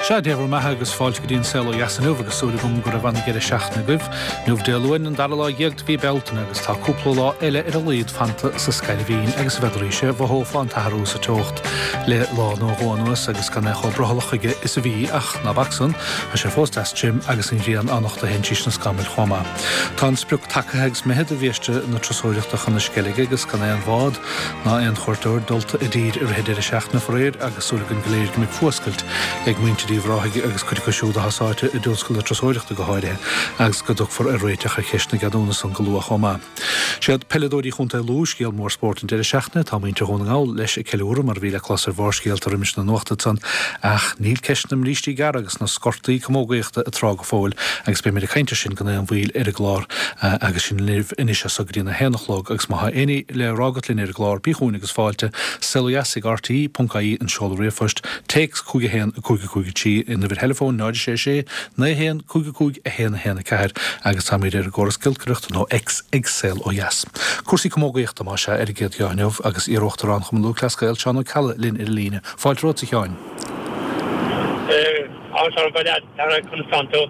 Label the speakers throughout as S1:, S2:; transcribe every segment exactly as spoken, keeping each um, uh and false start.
S1: Sea, Dia bhur mbeatha agus fáilte go dtí an Saol Ó Dheas inniu agus súil agam go raibh ana-dheireadh seachtaine agaibh. Inniu Dé Luain an dara lá dhéag de mhí Bealtaine agus tá cúpla lá eile ar a laghad fanta sa scairbhín agus a bheadh sé mhothófá an t-athrú sa teocht le lá nó dhó anuas agus gan é chomh brothallach chuige is a bhí ach ná bac san, tá sé fós deas tirim agus an ghrian á nochtadh féin tríd na scamaill chomh maith. Tá an sprioc tagaithe agus imithe do bhiaiste na turasóireachta chun na Sceilge agus gan aon bhád ná aon chuairteoir dulta i dtír i rith an deireadh seachtaine faraor agus súil againn go léir go mbeidh fuascailt ag muintir Uíbh Ráthaigh agus cuid acu siúd atá sáite i dtionscal na turasóireachta go háirithe agus go dtiocfar ar réiteach ar cheist na gceadúnas san go luath chomh maith. Siad peileadóirí Chontae Lú scéal mór spóirt an deireadh seachtaine, tá muintir Dhún na nGall leis ag ceiliúradh mar a bhí le clos ar Bharrscéalta roimis na nuachta ansan ach níl ceist na mbrístí gearra agus na scortaí camógaíochta ag trá go fóill agus beimid ag caint air sin gan aon mhoill ar an gclár agus sinn libh anois as so go dtí a haon a chlog agus má tá aon ní le rá agat linn ar an gclár bí chugainn agus fáilte saol ó dheas ag rte ponc ie an seoladh ríomhphoist téacs cúig a haon a cúig a cúig a trí an uimhir theileafóin náid a sé sé naoi a haon cúig a cúig a haon a haon a ceathair agus táimid ar an gcóras giolcaireachta nó X ag Saol Ó Dheas. Cúrsaí camógaíochta más ea ar an gcéad gheá inniu agus iar-Uachtarán Chumann Lúthchleas Gael Seán Ó Ceallaigh linn ar an líne. Fáilte romhat a Sheáin.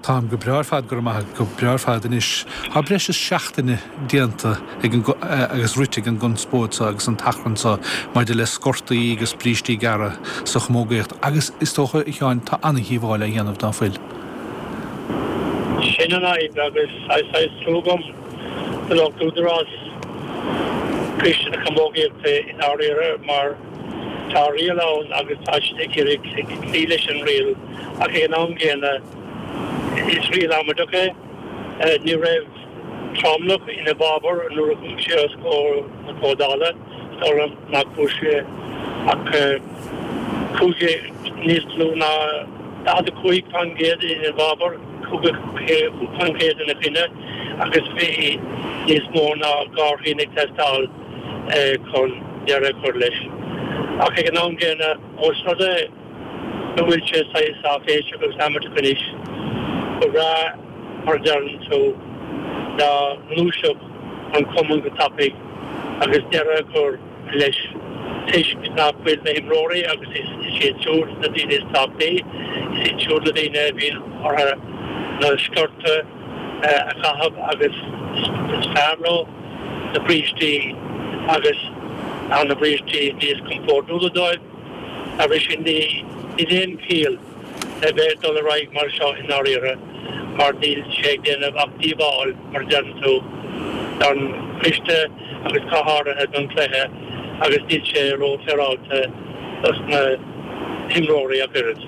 S1: Táim go breá ar fad, go raibh maith agat, go breá ar fad. Anois, tá breis is seachtain déanta ag an agus rite ag an gconspóid seo agus an t-achrann seo maidir le scortaí agus brístí gearra sa chamógaíocht agus is dócha, a Sheáin, tá an-dhíobháil á dhéanamh ná fuil?
S2: Sin an fhadhb agus saghas trua agam do lucht údarás Coiste na Camógaíochta i ndáiríre mar tá riail ann agus tá siad ag iarraidh cloí leis an riail ach ag an am gcéanna is riail amaideach é. Ní raibh tromlach ina bhfabhar nuair a chuaigh sé os comhair na comhdhála, is dóigh liom nach bhfuair sé ach cúig, níos lú ná daichead a cúig faoin gcéad ina bhfabhar, caoga cúig faoin gcéad ina choinne agus bhí níos mó ná dhá thrian ag teastáil chun deireadh a chur leis. Ach ag an am gcéanna, ós rud é go bhfuil sé saghas áiféiseach agus amaideach anois, ba bhreá, mar a deireann tú, dá ngluaisfeadh an cumann go tapaidh agus deireadh a chur leis toisc nach bhfuil na himreoirí, agus is iad siúd na daoine is tábhachtaí, is iad siúd na daoine a bhíonn orthu na sciorta a chaitheamh agus is fearr leo na brístí agus tá na brístí níos compordúla dóibh. Agus sin níl aon chiall le bheith ag dul ar aghaidh mar seo i ndáiríre mar níl sé ag déanamh ach díobháil, mar a deireann tú, don choiste agus go háirithe don chluiche agus níl sé ró-fhéaráilte dos na himreoirí ach oiread.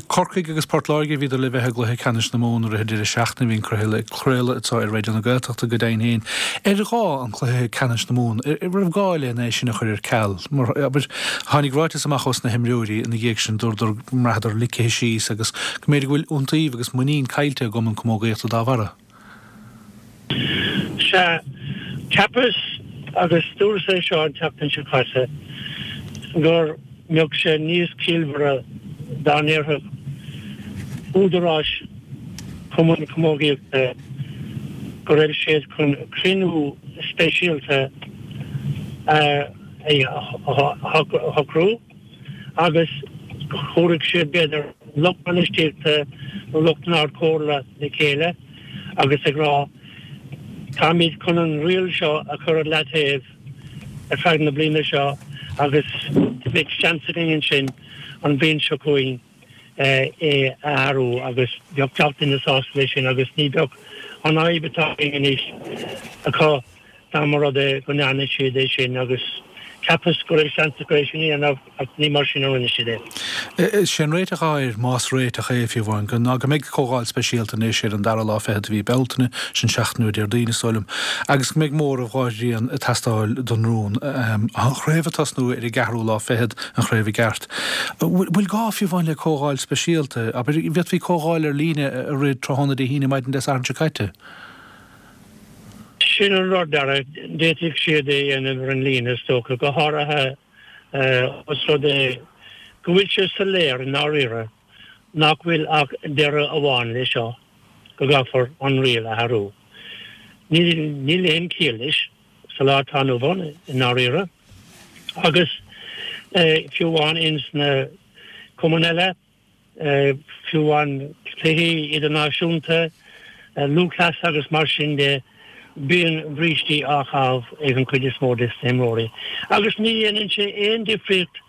S1: Corcaigh agus Port Láirge a bhíodar le bheith i gcluiche ceannais na Mumhan i rith an deireadh seachtaine. Bhí an cluiche ag craoladh anseo ar Raidió na Gaeltachta go deimhin féin. Ar ghá an cluiche ceannais na Mumhan? An raibh gá len é sin a chur ar ceal? Mar, abair, tháinig ráiteas amach ós na himreoirí ina dhiaidh sin, dúradar go mbraitheadar ligthe síos agus go mb'fhéidir go bhfuil iontaoibh agus muinín caillte i gCumann Camógaíochta dá bharra.
S2: Sea, cheapas, agus dúras é seo an tseachtain seo caite, go mbeadh sé níos ciallmhaire dá ndéarfadh údaráis Chumann Camógaíochta go raibh siad chun cruinniú speisialta a shocrú agus go dtabharfadh siad, b'fhéidir, lucht bainistíochta nó lucht an Ard-Chomhairle le chéile agus ag rá, táimid chun an riail seo a chur ar leataobh ar feadh na bliana seo agus beidh seans againn ansin an bhliain seo chugainn é a athrú agus bheadh gach duine sásta leis sin agus ní bheadh an fhadhb atá againn anois acu dá mba rud é go ndearna siad é sin agus cheapas go raibh seans acu é sin a dhéanamh ach ní mar sin a rinne siad
S1: é. Is é an réiteach atá air, más réiteach é fiú amháin, go ná go mbeidh comhdháil speisialta anois ar an dara lá fichead de mhí Bealtaine, sin seachtain ó Déardaoin is dóigh liom, agus go mbeidh móramh dhá thrian ag teastáil don rún. An chraobh ag tosnú ar an gceathrú lá fichead, an chraobh i gceart. Bhfuil gá fiú amháin le comhdháil speisialta? Abair, an bhféadfaí comhdháil ar líne a rith tráthnóna Dé hAoine, maidin Dé Sathairn seo caite?
S2: Sin an rud, Dara. D'fhéadfadh siad é a dhéanamh ar an líne, is dócha, go háirithe os rud é go bhfuil sé soiléir i ndáiríre nach bhfuil ach deireadh amháin leis seo, go gcaithfear an riail a athrú. Níl aon chiall leis sa lá atá inniu ann i ndáiríre. Agus fiú amháin ins na cumainn eile, fiú amháin cluichí idirnáisiúnta, lúthchleas agus mar sin de, bíonn brístí á chaitheamh ag an chuid is mó des na himreoirí. Agus ní dhéanann sé aon difríocht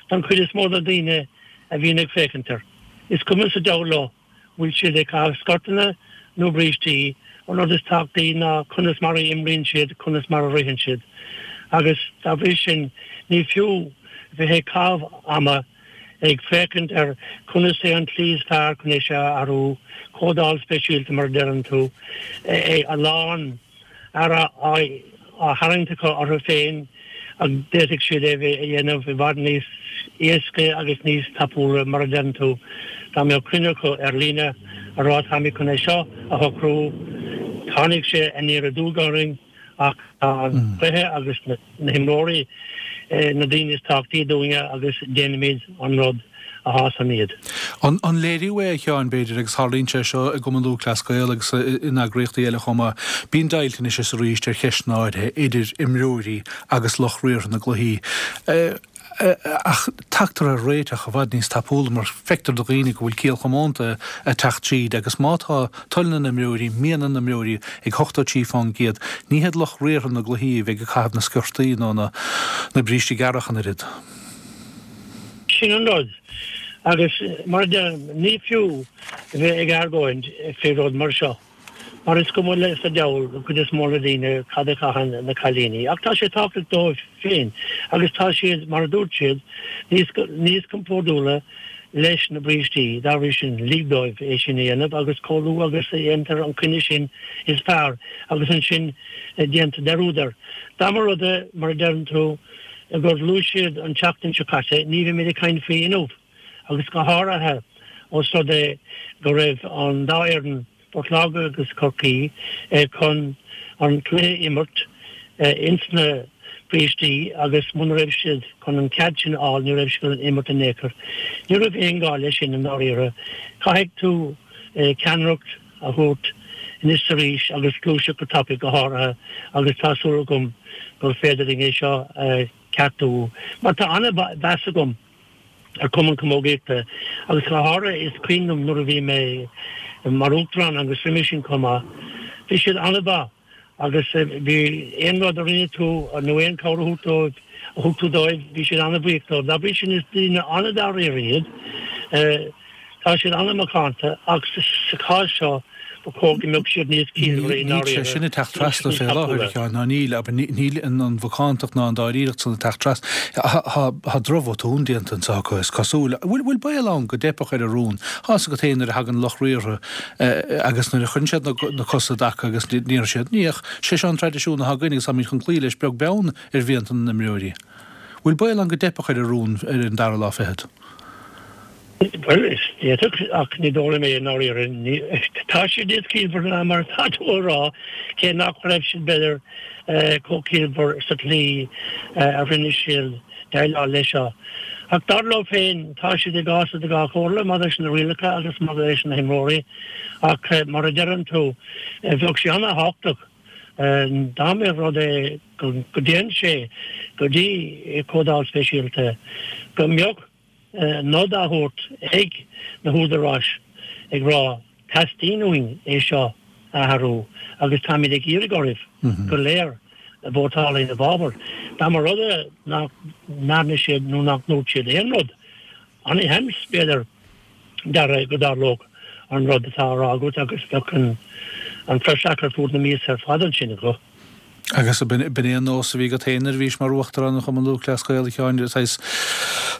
S2: don chuid is mó de daoine a bhíonn ag féachaint air. Is cuma sa diabhal leo bhfuil siad ag caitheamh sciortanna nó brístí, an rud is tábhachtaí ná conas mar a imríonn siad, conas mar a ritheann siad. Agus dá bhrí sin, ní fiú bheith ag caitheamh ama ag féachaint ar conas é an tslí is fearr chun é seo a athrú, comhdháil speisialta mar a deireann tú, a lán aire á tharraingt acu orthu féin ach d'fhéadfadh siad é a dhéanamh i bhfad níos éasca agus níos tapúla mar a deireann tú, dá mbeadh cruinniú acu ar líne a rá táimid chun é seo a shocrú, tháinig sé aniar aduaidh orainn ach tá an cluiche agus na himreoirí na daoine is tábhachtaí dúinne agus déanfaimid an rud a shásann iad.
S1: An léiriú é, a Sheáin, b'fhéidir, agus tarlaíonn sé seo i gCumann Lúthchleas Gael agus in eagraíochtaí eile chomh maith, bíonn deighilt anois is arís ar cheisteanna áirithe idir imreoirí agus lucht riartha na gcluichí. Ach tagtar ar réiteach i bhfad níos tapúla mar feictear do dhaoine go bhfuil ciall chomónta ag teacht tríd agus má tá toil na n-imreoirí, mian na n-imreoirí ag ochtó trí fán gcéad, ní hiad lucht riartha na gcluichí a bheidh ag caitheamh na sciortaí nó na brístí gearra ach an oiread.
S2: Sin an rud. Agus mar a deirim, ní fiú a bheith ag argóint faoi rud mar seo. Mar is cuma sa diabhal don chuid is mó de dhaoine cad a chaitheann na cailíní. Ach tá sé tábhachtach dóibh féin agus tá siad, mar a dúirt siad, níos níos compordúla leis na brístí. Dá bhrí sin, lig dóibh é sin a dhéanamh agus chomh luath agus a dhéantar an coinne sin is fearr agus ansin déantar dearúd air. Dá mba rud é, mar a deireann tú, gur ghluais siad an tseachtain seo caite, ní bheimid ag caint faoi inniu agus go háirithe os rud é go raibh an dá fhoireann Port Láirge agus Corcaigh chun an cluiche a imirt ins na brístí agus muna raibh siad chun an cead sin a fháil ní raibh siad chun imirt in aon chor. Ní raibh aon gá leis sin i ndáiríre. Caithfidh tú ceannaireacht a thabhairt anois is arís agus gluaiseacht go tapaidh go háirithe agus tá súil agam gur féidir linn é seo a cheartú mar tá an-mheas agam ar Chumann Camógaíochta agus go háirithe is cuimhin liom nuair a bhí mé mar uachtarán agus roimhe sin chomh maith, bhí siad an-mhaith agus bhí aon rud a rinne tú nó aon chabhair a thug dóibh a thug tú dóibh bhí siad an-bhuíoch dóibh. Dá bhrí sin is daoine an-dáiríre iad. Tá siad an-mhacánta ach sa chás seo ba chóir go mbeadh siad níos ciallmhaire i
S1: Níl sé
S2: ndáiríre
S1: sin ag teacht
S2: agus
S1: trasna
S2: níos
S1: fé láthair,
S2: tapúla.
S1: a Sheáin, ná níl, abair, níl an mhacántacht ná an dáiríreacht san ag teacht trasna. Tá drochbhotún déanta anseo acu, is cosúil. Bhfuil bhfuil baol ann go dteipfeadh ar an rún? Tá 'fhios agat féin nuair a thagann lucht riartha agus nuair a chuireann siad na cosa i dtaca agus déarfaidh siad, ní, ach sé seo an traidisiún atá againn agus táimid chun cloí leis beag beann ar mhianta na n-imreoirí. Bhfuil baol ann go dteipfeadh ar an rún ar an dara lá fichead?
S2: Bhuel, is d'fhéadfadh, ach ní dóigh liom é i ndáiríre. Tá siad níos ciallmhaire ná mar atá tú a rá, cé nach raibh siad, b'fhéidir, chomh ciallmhar sa tslí a rinne siad déileáil leis seo. Ach dar leo féin, tá siad i gcás i dhá chomhairle maidir leis na rialacha agus maidir leis na himreoirí. Ach mar a deireann tú, bheadh sé an-thábhachtach dá mba rud é go dtéann sé go dtí comhdháil speisialta, go mbeadh nod á thabhairt ag na húdaráis ag rá teastaíonn uainn é seo a athrú agus táimid ag iarraidh oraibh go léir vótáil ina bhfabhar. Dá mba rud é nach ndearna siad nó nach ndúirt siad aon rud, an-sheans, b'fhéidir, Dara, go dtarlódh an rud atá á rá agat agus bheadh an praiseach ar fud na míosa ar fad ansin acu.
S1: Agus b'in é an nós a bhí agat féin nuair a bhís mar Uachtarán an Chumann Lúthchleas Gael, a Sheáin, saghas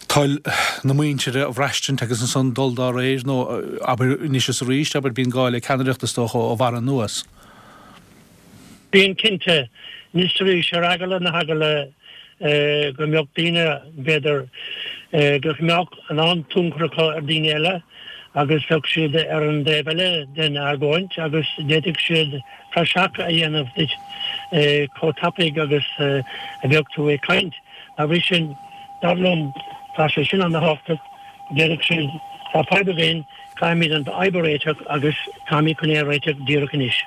S1: toil na muintire a bhraistint agus ansan dul dá réir, nó abair anois is arís, abair, bíonn gá le ceannaireacht is dócha ó bharr anuas.
S2: Bíonn cinnte, anois is arís, ar eagla na heagla go mbeadh daoine, b'fhéidir, go mbeadh a lán tionchar acu ar dhaoine eile agus bheadh siad ar an dtaobh eile den argóint agus d'fhéadfadh siad praiseach a dhéanamh duit chomh tapaidh agus a bheadh tú ag caint. Dá bhrí sin, dar liom, tá sé sin an-thábhachtach, go ndéarfadh siad, tá fadhb againn, caithfimid an fhadhb a réiteach agus táimid chun é a réiteach díreach anois.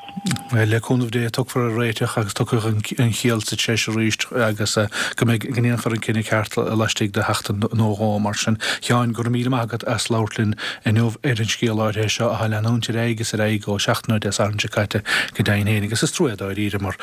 S1: Le cúnamh Dé tiocfar ar réiteach agus tiocfaidh an chiall sa treis arís agus go mbeidh go ndéanfar an cinneadh ceart laistigh de sheachtain nó dhó mar sin. Sheáin, go raibh míle maith agat as labhairt linn inniu ar an scéal áirithe seo atá ag leanúint ar aghaidh is ar aghaidh ó seachtain ó Dé Sathairn seo caite go deimhin féin agus is trua é dáiríre mar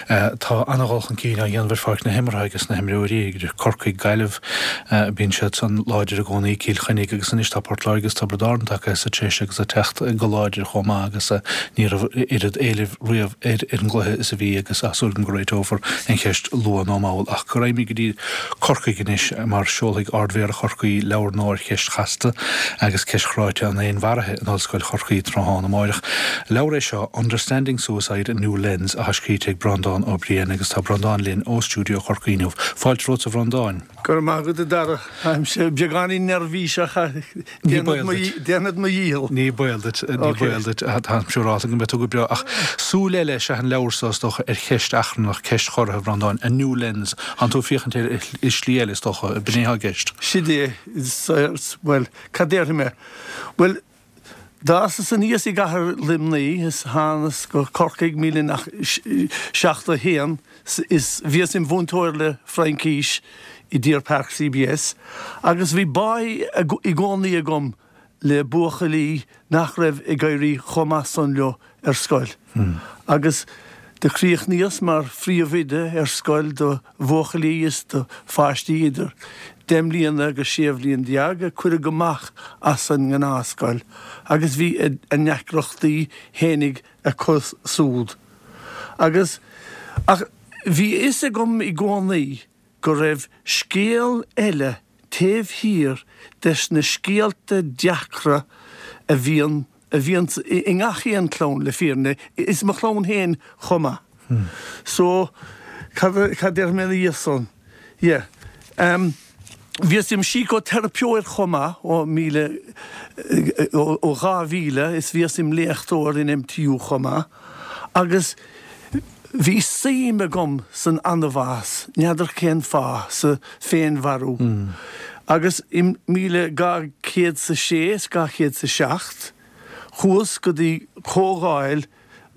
S1: tá an-dhul chun cinn á dhéanamh ar pháirc na himeartha agus na himreoirí idir Corcaigh, Gaillimh, bíonn siad san láidir i gcónaí, Cill Chainnigh agus anois tá Port Láirge agus Tiobraid Árann tagtha sa treis agus ag teacht go láidir chomh maith agus ní raibh oiread éilimh riamh ar an gcluiche is a bhí agus tá súil agam go réiteofar an cheist luath nó mall. Ach go raghaimid go dtí Corcaigh anois mar seolfaidh Ard-Mhéara Chorcaí leabhar nua ar cheist chasta agus ceist chráite an fhéinmharaithe in Ollscoil Chorcaí tráthnóna amáireach. Leabhar é seo, Understanding Suicide, A New Lens, atá scríte ag Breandán Ó Briain agus tá Breandán linn ó stiúideo Chorcaí inniu. Fáilte romhat a Bhreandáin.
S3: Go raibh maith agat a Dara. Táimse beagáinín neirbhíseach ach déanfad mo dhícheall.
S1: Ní baol duit, ní baol duit. Táim siúrálta go mbeidh tú go breá. Ach súil eile is ea an leabhar so, is dócha, ar cheist achrannach, ceist chorraithe, a Bhreandáin, a new lens. Tánn tú ag féachaint air i slí eile, is dócha. B'in é atá i gceist.
S3: Sid é. Bhuel, cad déarfaidh mé? Bhuel, D'fhásas aníos i gcathair Luimnigh is thánas go Corcaigh míle naoi seachtó a haon is bhíos im mhúinteoir le Fraincís i Deer Park CBS agus bhí báidh i gcónaí agam le buachaillí nach raibh ag éirí chomh maith san leo ar scoil agus do chríochnaíos mar phríomhoide ar scoil do bhuachaillí is do pháistí idir deich mbliana agus sé bhliain déag a cuireadh amach as an ngnáthscoil agus bhí a ndeacrachtaí fhéinig acu súd. Agus, ach bhí a fhios agam i gcónaí go raibh scéal eile taobh thiar des na scéalta deacra a bhíonn a bhíonns i ngach aon chlann, le fírinne, is mo chlann féin chomh maith. So, cad, cad déarfaidh mé ina dhiaidh san? Yeah. Em, bhíos im sícóteiripeoir chomh maith ó míle, ó dhá mhíle is bhíos im léachtóir in MTU chomh maith agus bhí suim agam san anbhás, n'fheadar cén fáth, sa féinmharú. Agus i míle dhá chéad 's a sé is dhá chéad 's a seacht, chuas go dtí comhdháil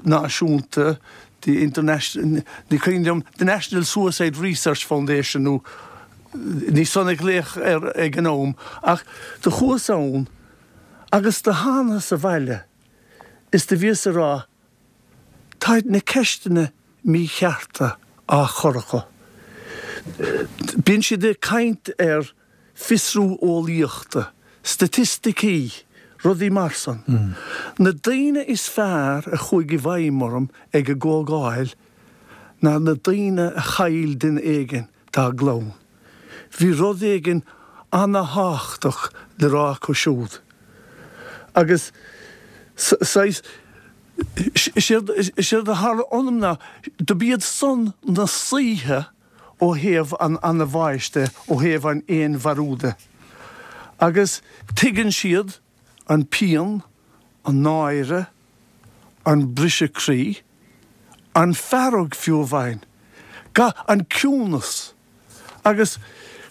S3: náisiúnta the International, ní cuimhin liom, the National Suicide Research Foundation nó ní san a glaodh air ag an am, ach do chuas ann agus do thánas abhaile is do bhíos a rá, Táid na ceisteanna míchearta á chur acu. Bíonn siad ag caint ar fiosrú eolaíochta, staitisticí, rudaí mar san. Na daoine is fearr a chuaigh i bhfeidhm orm ag an gcomhdháil ná na daoine a chaill duine éigin dá gclann. Bhí rud éigin ana-thábhachtach le rá acu siúd. Agus saghas, séard a tharla ionam ná, do b'iad san na saoithe ó thaobh an anbháis de, ó thaobh an fhéinmharú de. Agus tuigeann siad an pian, an náire, an briseadh croí, an fearg fiú amháin, an ciúnas. Agus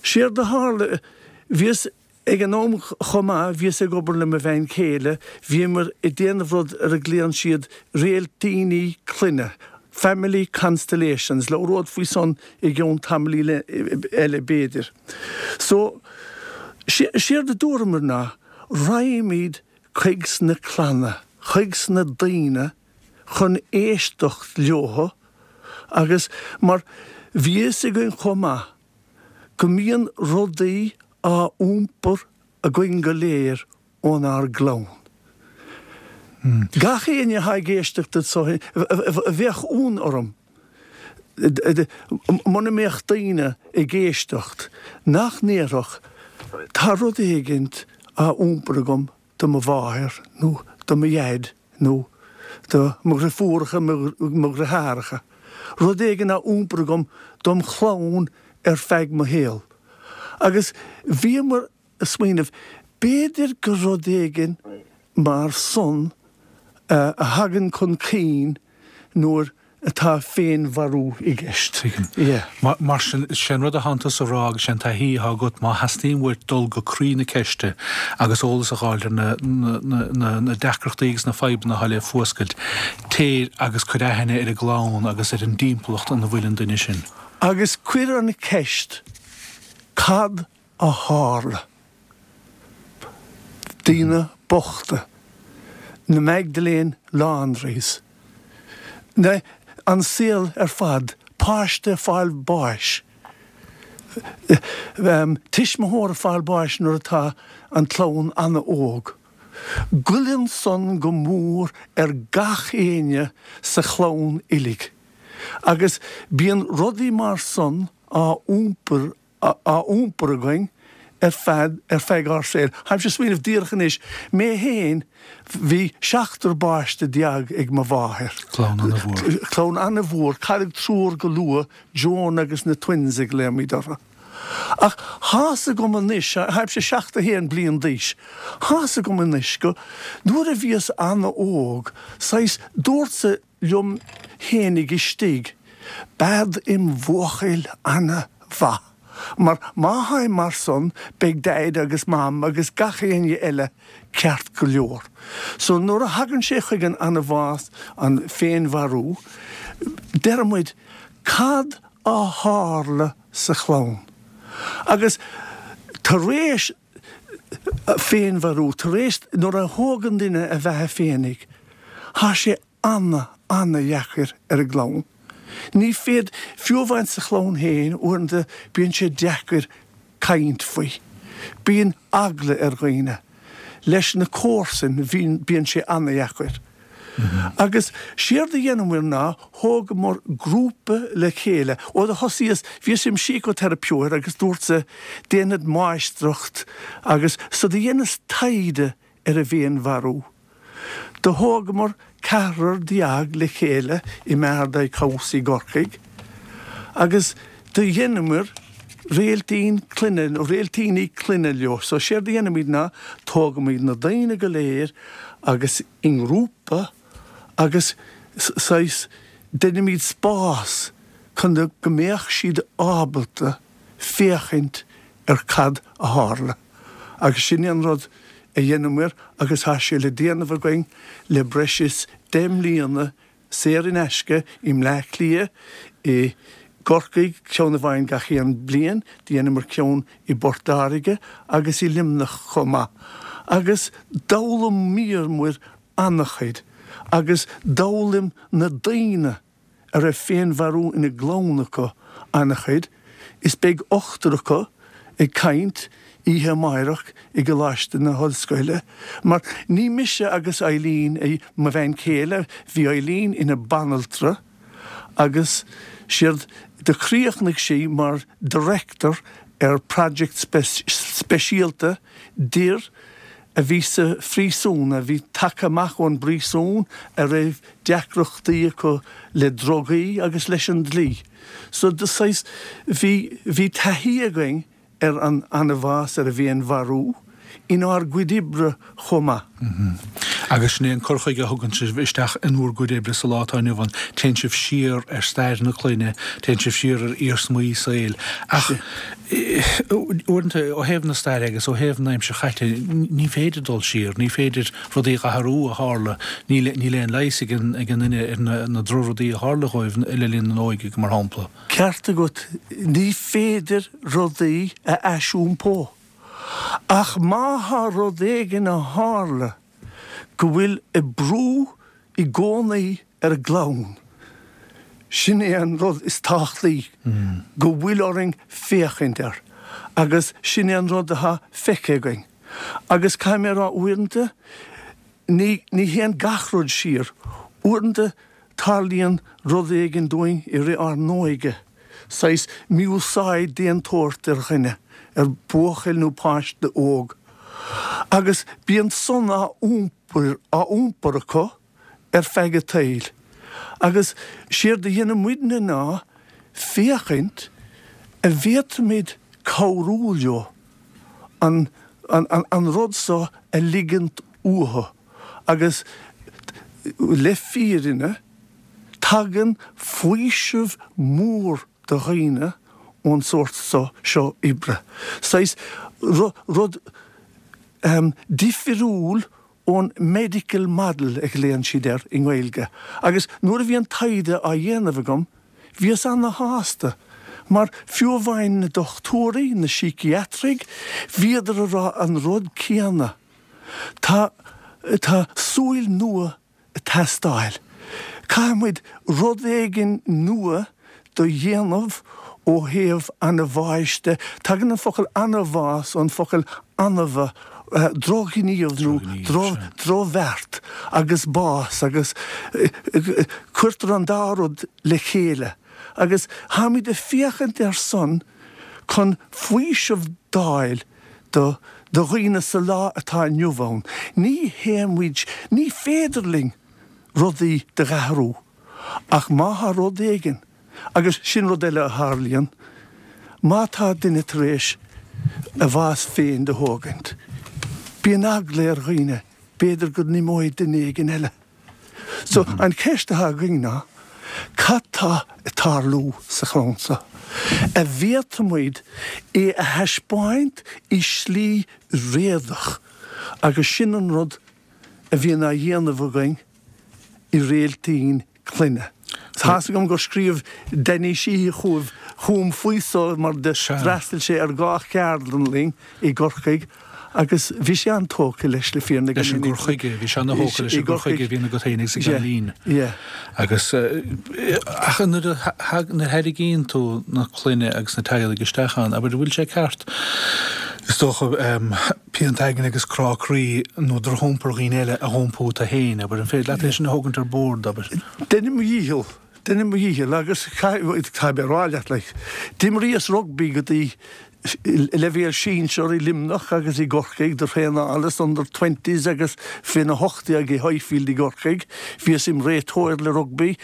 S3: séard a tharla, bhíos Ag an am chomh maith, bhíos ag obair le mo bhean chéile, bhíomar ag déanamh rud ar a ghlaonn siad réiltíní clainne, family constellations, labhród faoi san i gceann tamaillín eile b'fhéidir. So, séard a dúramar ná, raghaimid chuig sna clanna, chuig sna daoine chun éisteacht leothu agus mar bhí fhios againn chomh maith go mbíonn rudaí á iompar againn go léir ónár gclann. Gach éinne atá ag éisteacht anso, bheadh ionadh orm muna mbeadh daoine ag éisteacht nach ndéarfadh, tá rud éigint á iompar agam do mo mháthair nó do mo dhaid nó do mo dhriofúracha, mo dhriotháracha, rud éigin á iompar agam dom chlann ar feadh mo shaoil. Agus bhíomar ag smaoineamh, b'fhéidir gur rud éigin mar san a thagann chun cinn nuair atá féinmharú i gceist.
S1: Yeah. Mar sin sé an rud atánn tusa a rá agus sé an taithí atá agat má theastaíonn uait dul go croí na ceiste agus eolas a fháil ar na, na, na, na, na deacrachtaí agus na fadhbanna atá le fuascailt, téir agus cuir aithne ar an gclann agus ar an dtimpeallacht ina bhfuil an duine sin.
S3: Agus cuir an ceist cad a tharla? Daoine bochta, na Magdalene Laundries, na, an saol ar fad, páiste ag fáil báis, tuismitheoir ag fáil báis nuair atá an clann an-óg. Goilleann san go mór ar gach éinne sa chlann uilig. Agus bíonn rudaí mar san á iompar á iompar againn ar feadh ar feadh ár saoil. Táimse ag smaoineamh díreach anois, mé féin, bhí seachtar bpáiste déag ag mo mháthair.
S1: Clann an-mhór.
S3: Clann an-mhór, cailleadh triúr go luath, Joan agus na twins a ghlaoimid orthu. Ach thá's agam anois, táimse seachtó haon bliain d'aois, thá's agam anois go, nuair a bhíos an-óg, saghas, dúrtsa liom fhéinig istigh, bead im bhuachaill ana-mhaith, mar má tháim mar san, beidh Daid agus Mam agus gach éinne eile ceart go leor. So nuair a thagann sé chuig an anbhás, an féinmharú, deir muid, cad a tharla sa chlann? Agus tar éis féinmharú, tar éis nuair a thógann duine a bheatha féinig, thá sé ana, ana-dheacair ar an gclann. Ní féidir, fiú amháin sa chlann féin, uaireanta bíonn sé deacair caint faoi. Bíonn eagla ar dhaoine. Leis na comharsain, bhíonn, bíonn sé ana-dheacair. Agus séard a dheineamar ná thógamar grúpa le chéile. Ó do thosaíos, bhíos im sícóiteiripeoir agus dúrtsa déanfad máistreacht agus so do dheineas taighde ar an bhféinmharú. Do thógamar ceathrar déag le chéile i Mardyke House i gCorcaigh agus do dheineamar réiltín clainne, nó réiltíní clainne leo. So séard a dhéanaimid ná tógaimid na daoine go léir agus i ngrúpa agus saghas deinimid spás chun go mbeadh siad ábalta féachaint ar cad a tharla. Agus sin é an rud a dheineamar agus tá sé le déanamh againn le breis is deich mbliana saor in aisce i mBleá Cliath, i gCorcaigh, ceann amháin gach aon bliain, dheineamar ceann i bPort Láirge agus i Luimneach chomh maith. Agus d'fhoghlaimíomar an-chuid agus d'fhoghlaim na daoine a raibh féinmharú ina gclann acu an-chuid, is beidh ochtar acu ag caint oíche amáireach i gColáiste na hOllscoile, mar ní mise agus Eileen, mo bhean chéile, bhí Eileen ina banaltra agus séard do chríochnaigh sí mar director ar project speisialta d'fhir a bhí sa phríosún, a bhí tagtha amach ón bpríosún, a raibh deacrachtaí acu le drugaí agus leis an dlí. So de saghas, bhí, bhí taithí againn ar an anbhás, ar an bhféinmharú, inár gcuid oibre chomh maith.
S1: Agus sin é an cur chuige a thugann sibh isteach in bhur gcuid oibre sa lá atá inniu ann, téann sibh siar ar stair na clainne, téann sibh siar ar iarsmaí saoil. Ach uaireanta, ó thaobh na staire agus ó thaobh na aimsire chaite, ní féidir dul siar, ní féidir rudaí a athrú a tharla, níl níl aon leigheas ag an ag an duine ar na na drochrudaí a tharla dhóibh le linn na n-óige, mar shampla.
S3: Ceart agat, ní féidir rudaí a aisiompó. Ach má thá rud éigin a tharla go bhfuil ag brú i gcónaí ar an gclann, sin é an rud is tábhachtaí go bhfuil orainn féachaint air. Agus sin é an rud atá feicthe againn. Agus caithfidh mé a rá, uaireanta, ní, ní théann gach rud siar. Uaireanta tarlaíonn rud éigin dúinn i rith ár n-óige, saghas mí-úsáid d'aon tsórt ar dhuine, ar bhuachaill nó páiste óg, agus bíonn san á iompar, á iompar acu ar feadh a tsaoil. Agus séard a dhéanann muidne ná féachaint an bhféadfaimid cabhrú leo an, an, an, an rud so a ligint uathu agus le fírinne, Tagann faoiseamh mór do dhaoine ón sórt so, seo oibre. Saghas rud um, difriúil ón medical model a ghlaonn siad air i nGaeilge. Agus nuair a bhí an taighde á dhéanamh agam, bhíos ana-shásta. Mar fiú amháin na dochtúirí, na síciatraigh, bhíodar a rá an rud céanna. Tá, tá súil nua ag teastáil. Caithfimid rud éigin nua do dhéanamh ó thaobh an bháis de. Tagann an focal anbhás ón focal anbha, drochghníomh nó drochbheart agus bás agus cuirtear an dá rud le chéile. Agus táimid ag féachaint air san chun faoiseamh d'fháil do do dhaoine sa lá atá inniu ann. Ní théimid, ní féidir linn rudaí do dh'athrú ach má thá rud éigin, agus sin rud eile a tharlaíonn, má tá duine tar éis a bhás féin do thógaint, bíonn eagla ar dhaoine, b'fhéidir go n-imeoidh duine éigin eile. So, an cheist atá againn ná, cad tá ag tarlú sa chlann seo? An bhféadfaimid é a thaispeáint i slí réadach agus sin an rud a bhíonn á dhéanamh againn i Réiltín Clainne. Tá's agam gur scríobh Danny Sheehy chugaibh, chugam faoi so mar d'fhreastail sé ar dhá cheardlann linn i gCorcaigh agus bhí sé an-tógtha leis le fírinne
S1: Leis an gcur chuige, bhí sé ana-thógtha leis an gcur chuige a bhíonn agat féin agus ag Eileen. Agus ach nuair a tharraingíonn tú na clainne agus na teaghlaigh isteach ann, abair, an bhfuil sé ceart, is dócha, pianta aigne agus crá croí nó drochiompar dhaoine eile a dh'iompú tú féin, abair, an féidir leat é sin a thógaint ar bord, abair?
S3: Deinim mo dhícheall, deinim mo dhícheall agus caithfidh mé a rá leat, like, d'imríos rugbaí go dtí leibhéal sinsear i Luimneach agus i gCorcaigh, do thraenálas under twenties agus faoin a hocht déag i Highfield i gCorcaigh. Bhíos im réiteoir le rugbaí.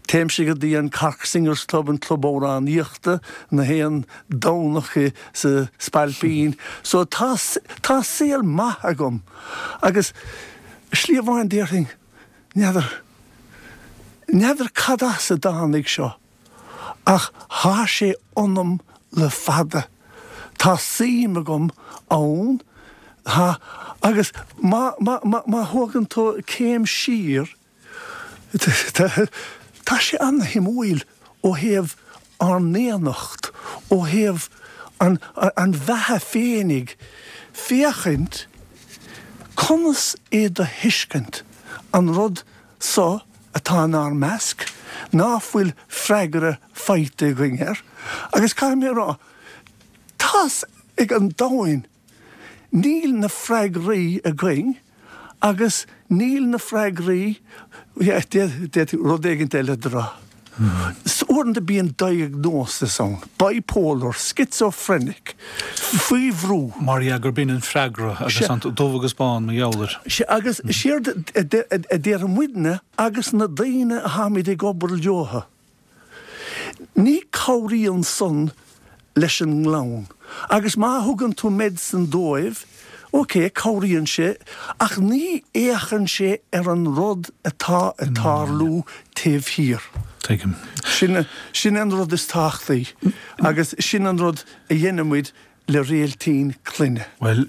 S3: Téimse go dtí an Cork Singers Club, an club amhránaíochta, na haon Domhnach i sa Spailpín. So tá tá saol maith agam agus slí amháin déarfainn, n'fheadar, n'fheadar cad as a dtáinig seo ach thá sé ionam le fada. Tá suim agam ann, tá, agus má, má, má, má thógann tú céim siar, tá sé an-shuimiúil ó thaobh ár ndaonnacht, ó thaobh an, an bheatha féinig, féachaint conas é do thuiscint, an rud so atá inár measc, ná fuil freagra faighte againn air. Agus caithfidh mé a rá, tá's ag an domhain, níl na freagraí againn agus níl na freagraí, d'fhéadfaí rud éigin eile a rá. Uaireanta bíonn diagnosis ann, bipolar, schizophrenic, faoi bhrú.
S1: Mar dhea gurb in an freagra agus an dubh agus bán mar gheall air.
S3: Sea, agus séard a deir muidne agus na daoine a tháimid ag obair leotha, ní cabhraíonn san leis an nglann. Agus má thugann tú medicine dóibh, ok, cabhraíonn sé, ach ní fhéachann sé ar an rud atá ag tarlú taobh thiar.
S1: Tuigim.
S3: Sin, sin an rud is tábhachtaí agus sin an rud a dhéanaimid le Réiltín Clainne.
S1: Bhuel,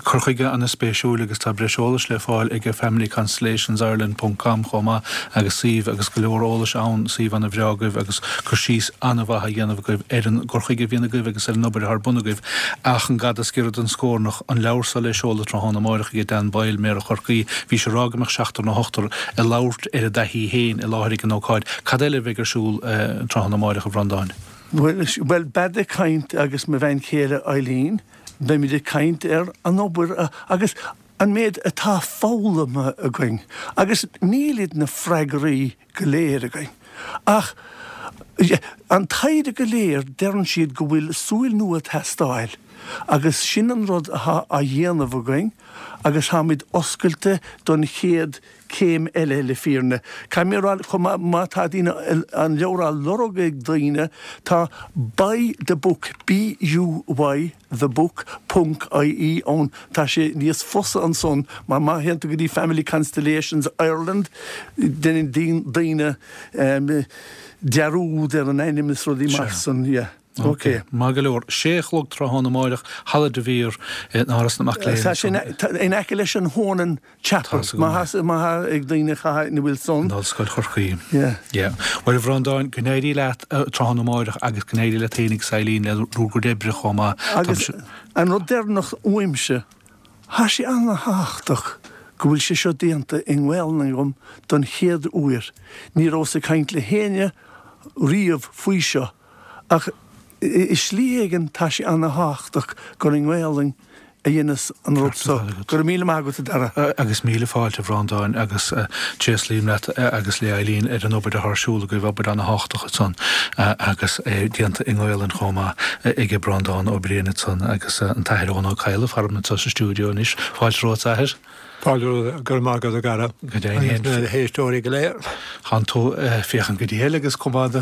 S1: cur chuige an-spéisiúil agus tá breis eolais le fáil ag Family Constellations Ireland ponc com chomh maith agus suíomh agus go leor eolais ann, suíomh an-bhreá agaibh agus cur síos an-mhaith á dhéanamh agaibh ar an gcur chuige a bhíonn agaibh agus ar an obair atá ar bun agaibh. Ach an gada is giorra don scornach, an leabhar seo le seoladh tráthnóna amáireach ag Dan Boyle, Méara Chorcaí, bhís ag rá go mbeadh seachtar nó ochtar ag labhairt ar a dtaithí féin i láthair ag an ócáid. Cad eile a bheidh ar siúl tráthnóna amáireach, a Bhreandáin?
S3: Bhuel, bead ag caint agus mo bhean chéile Eileen, beimid ag caint ar an obair agus an méid atá foghlamtha againn agus nílid na freagraí go léir againn ach an taighde go léir deireann siad go bhfuil súil nua ag teastáil Agus sin an rud atá á dhéanamh againn agus táimid oscailte don chéad céim eile le fírinne. Caithfidh mé a rá chomh maith má tá daoine an leabhar á lorg ag daoine tá Buy the Book, B-U-Y the book, ponc I-E ann. Tá sé níos fusa ansan mar má théann tú go dtí Family Constellations Ireland déanann daoine dearúd ar an ainm is rudaí mar san, yeah.
S1: Ok. Maith go leor. Sé a chlog tráthnóna amáireach, Halla de Vere in Áras na Mac Léinn.
S3: Tá sé in aice leis an Honan Chapel. Má tá ag daoine chaith ina bhfuil san.
S1: In Ollscoil Chorcaí. Yeah. Yeah. Bhuel, a Bhreandáin, go n-éirí leat tráthnóna amáireach agus go n-éirí leat féin agus Eileen le bhur gcuid oibre chomh maith.
S3: Agus an rud deireanach uaimse, tá sé an-thábhachtach go bhfuil sé seo déanta i nGaelainn agam don chéad uair. Ní rabhas ag caint le héinne riamh faoi seo ach i slí éigin tá sé an-thábhachtach gur i nGaelainn a dheineas an rud so. Go raibh míle maith agat, a Dhara.
S1: Agus míle fáilte, a Bhreandáin, agus tréaslaím leat agus le Eileen ar an obair atá ar siúl agaibh, obair an-thábhachtach ansan agus é déanta i nGaelainn chomh maith ag Breandán Ó Briain ansan agus an tAthair Eoin Ó Cadhla faram anseo sa stiúideo anois. Fáilte romhat, a Athair.
S4: Fáilte romhat, go raibh maith agat, a Dhara.
S1: Go deimhin
S4: féin. Agus na héisteoirí go léir.
S1: Tánn tú ag féachaint go diail agus chomh maith do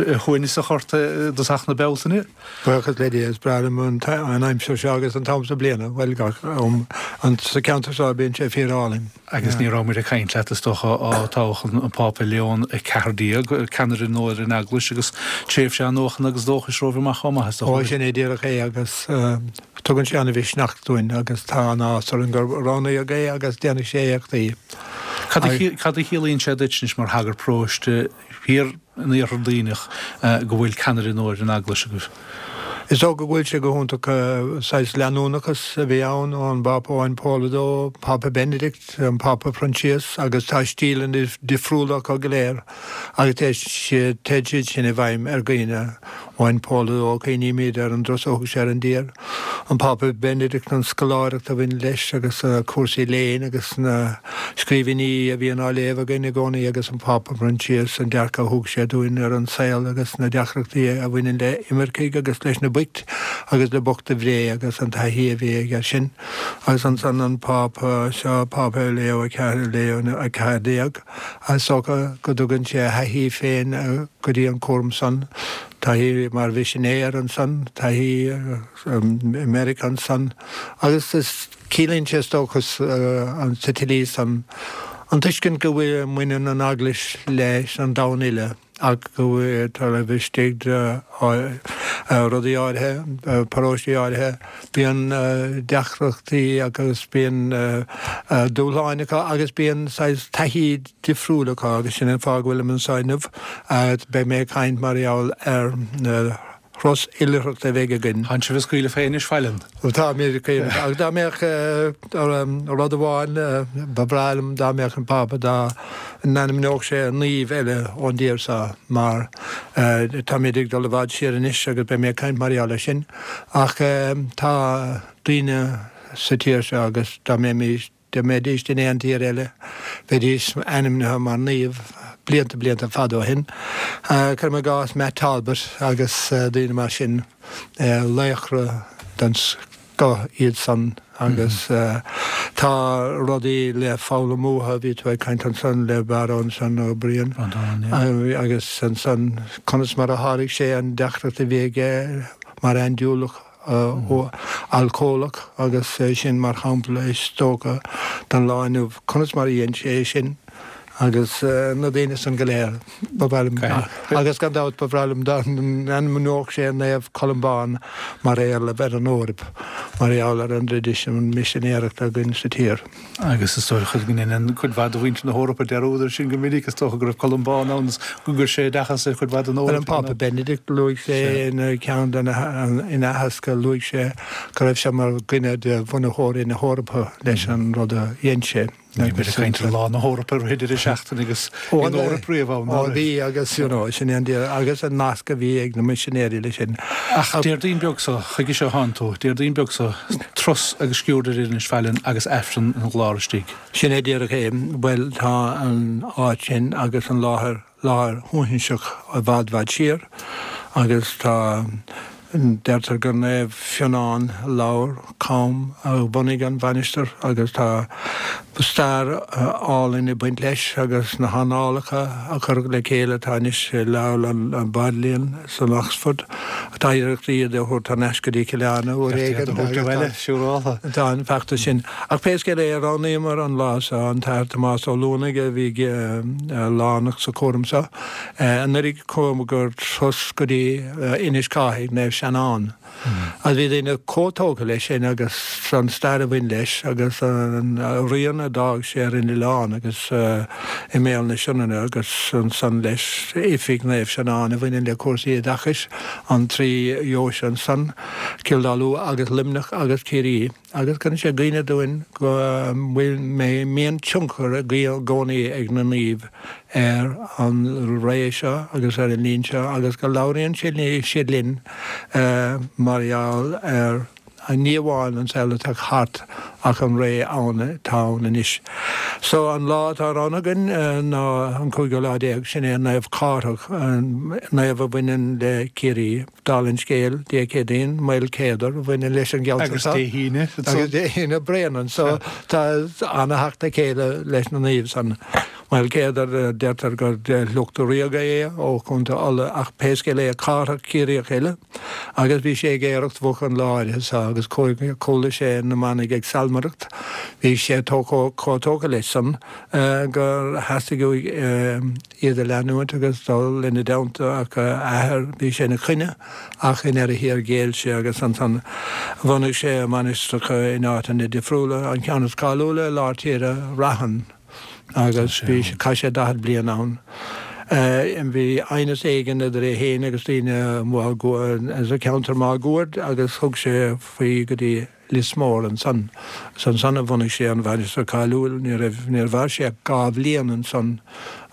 S1: shuaimhneasach ort i dtosach na Bealtaine.
S4: Buíochas le Dia, is breá liom an aimsir seo agus an t-am sa bliana, bhuel gach am, sa cheantar seo bíonn sé fíor álainn.
S1: Agus ní raibh muid ag caint leat is dócha ó toghadh an Pápa Leon a ceathair déag, ceannaire nua ar an Eaglais agus tréimhse athnuachana agus dóchais romhaibh amach chomh maith is
S4: dócha. Ó sin é díreach é agus tugann sé an-mhisneach dúinn agus tá an-áthas orainn gur roghnaíodh é agus déanfaidh sé éachtaí.
S1: Cad a chiallaíonn sé duit anois mar shagart paróiste thiar in Iarthar Duibhneach go bhfuil ceannaire nua ar an Eaglais agaibh?
S4: Is dócha go bhfuil sé go hiontach, saghas leanúnachas a bhí ann ón bPápa Eoin Pól a Dó, Pápa Benedict, an Pápa Proinsias agus tá stíleanna difriúla acu go léir agus téid siad sin i bhfeidhm ar dhaoine. Eoin Pól a Dó, cuimhnímid ar an dturas a thug sé ar an dtír, an Pápa Benedict, an scoláireacht a bhain leis agus cúrsaí léinn agus na scríbhinní a bhíonn á léamh againn i gcónaí agus an Pápa Proinsias, an dearcadh a thug sé dúinn ar an saol agus na deacrachtaí a bhaineann le imircigh agus leis na boicht agus le boicht a Bhré agus an taithí a bhí aige air sin. Agus ansan an Pápa seo, Pápa Leo a Ceathair, Leo a Ceathair Déag, is dócha go dtugann sé a thaithí féin go dtí an cúram san. Taithí mar mhisinéir ansan, taithí i Meiriceá ansan agus is ciallaíonn sé is dócha sa tslí san an tuiscint go bhfuil mbaineann an Eaglais leis an domhan uile ach go bhfuil taobh istigh de rudaí áirithe, paróistí áirithe, bíonn deacrachtaí agus bíonn dúshláin acu agus bíonn saghas taithí difriúil acu agus sin an fáth go bhfuilim anseo inniu. Beidh mé ag caint mar gheall ar na thuras oilithreachta a bheidh againn.
S1: Tánn sibh ag scaoileadh fé anois, Feileann.
S4: Tá mé ag scaoileadh. Ach dá mbeadh rud amháin, ba bhreá liom dá mbeadh an Pápa, dá n-ainmneodh sé naomh eile ón dtír seo mar táimid ag dul i bhfad siar anois agus beidh mé ag caint mar gheall air sin. Ach tá daoine sa tír seo agus dá mbeimis, Dá mbeidís in aon tír eile, bheidís ainmnithe mar naoimh blianta, blianta fada ó shin. Cuirim i gcás Matt Talbot agus daoine mar sin, laochra den scoth iad san agus tá rudaí le foghlaim uathu. Bhí tú ag caint ansan le Barra ansan, Ó Briain, agus ansan conas mar a sháraigh sé an deacracht a bhí aige mar aindúileach. alcólach agus sin mar shampla is dócha don lá inniu conas mar a dhein sé é sin agus na daoine san go léir. Ba bhreá liom, agus gan dabht ba bhreá liom dá n-ainmneodh sé Naomh Columbán mar éarlamh ar an Eoraip mar gheall ar an dtraidisiún misinéireachta againn sa tír.
S1: Agus is dócha go ndéanann cuid mhaith de mhuintir na hEorpa dearúd air sin go minic, is dócha go raibh Columbán ann is gur chuir sé oideachas ar chuid mhaith den
S4: Eoraip. An Pápa Benedict, luaigh sé ina ceann de na, ina aitheasc, luaigh sé go raibh sé mar dhuine de bhunaitheoirí na hEorpa leis an rud a dhein sé.
S1: Bhí muid ag caint ar Lá na hEorpa i rith deireadh seachtaine agus bhí an Eoraip riamh ann,
S4: Ó bhí agus you know sin é an deireadh agus an nasc a bhí ag na misinéirí leis sin.
S1: Ach Déardaoin beag so, chuige seo a thánn tú, Déardaoin beag so, turas agus sciuird ar Inis Faithleann agus Aifreann ina ghlár istigh.
S4: Sin é díreach é. Bhuel tá an áit sin agus an láthair, láthair shuaithinseach i bhfad bhfad siar agus tá Deirtear gur Naomh Fionnán Lobhar Cam a bhunaigh an mhainistir agus tá stair álainn ag baint leis agus na hannálacha a cuireadh le chéile atá anois i Leabharlann Bodleian san Oxford. Tá iarracht iad a thabhairt thar n-ais go dtí Cill Airne uair éigin. Tá an feachtas sin. Ach pé scéal é, roghnaíomar an lá seo, an tAthair Tomás Ó Luanaigh a bhí lárnach sa chúram seo. Anuraidh chuamar turas go dtí Inis Cárthaigh, Naomh Seanán. Agus bhí daoine chomh tógtha leis sin agus an stair a bhain leis agus an rian a d'fhág sé ar an oileán agus i mbéal na Sionainne agus ansan leis oifig Naomh Seanán a bhaineann le cúrsaí oideachais, an trí dheoise ansan, Cill Dá Lua agus Luimneach agus Ciarraí. Agus cuireann sé i gcuimhne dúinn go bhfuil mbíonn tionchar i gcónaí ag na naoimh ar an ré seo agus ar an linn seo agus go labhraíonn siad linn mar gheall ar ní amháin an saol atá thart ach an ré ann atá ann anois. So an lá atá roghnaithe againn ná an cúigiú lá déag, sin é Naomh Cárthach, naomh a bhaineann le Ciarraí. Dála an scéil, Dé Céadaoin, Maol Céadar, a bhaineann leis an gceantar seo.
S1: Agus Dé hAoine.
S4: Agus Dé hAoine, Bréanainn. So tá ana-theacht le chéile leis na naoimh san. Maol Céadar, deirtear gur de shliocht ríoga é ó Chontae Uladh ach pé scéal é, Cárthach Ciarraíoch eile agus bhí sé ag aoireacht mhuc an lá áirithe seo agus chuala sé na manaigh ag salmaireacht. Bhí sé chomh tógtha leis san gur theastaigh uaidh iad a leanúint agus dul ina dteannta ach a athair, bhí sé ina choinne ach i ndeireadh thiar ghéill sé agus ansan bhunaigh sé mainistreacha in áiteanna difriúla, an ceann is cáiliúla i lár tíre, Raithin, agus bhí, chaith sé daichead bliain ann. Bhí aighneas éigin idir é féin agus daoine sa cheantar máguaird agus thug sé faoi go dtí Lios Mór ansan. Is ansan a bhunaigh sé an mhainistir cáiliúil. Ní raibh, níor mhair sé ach dhá bhliain ansan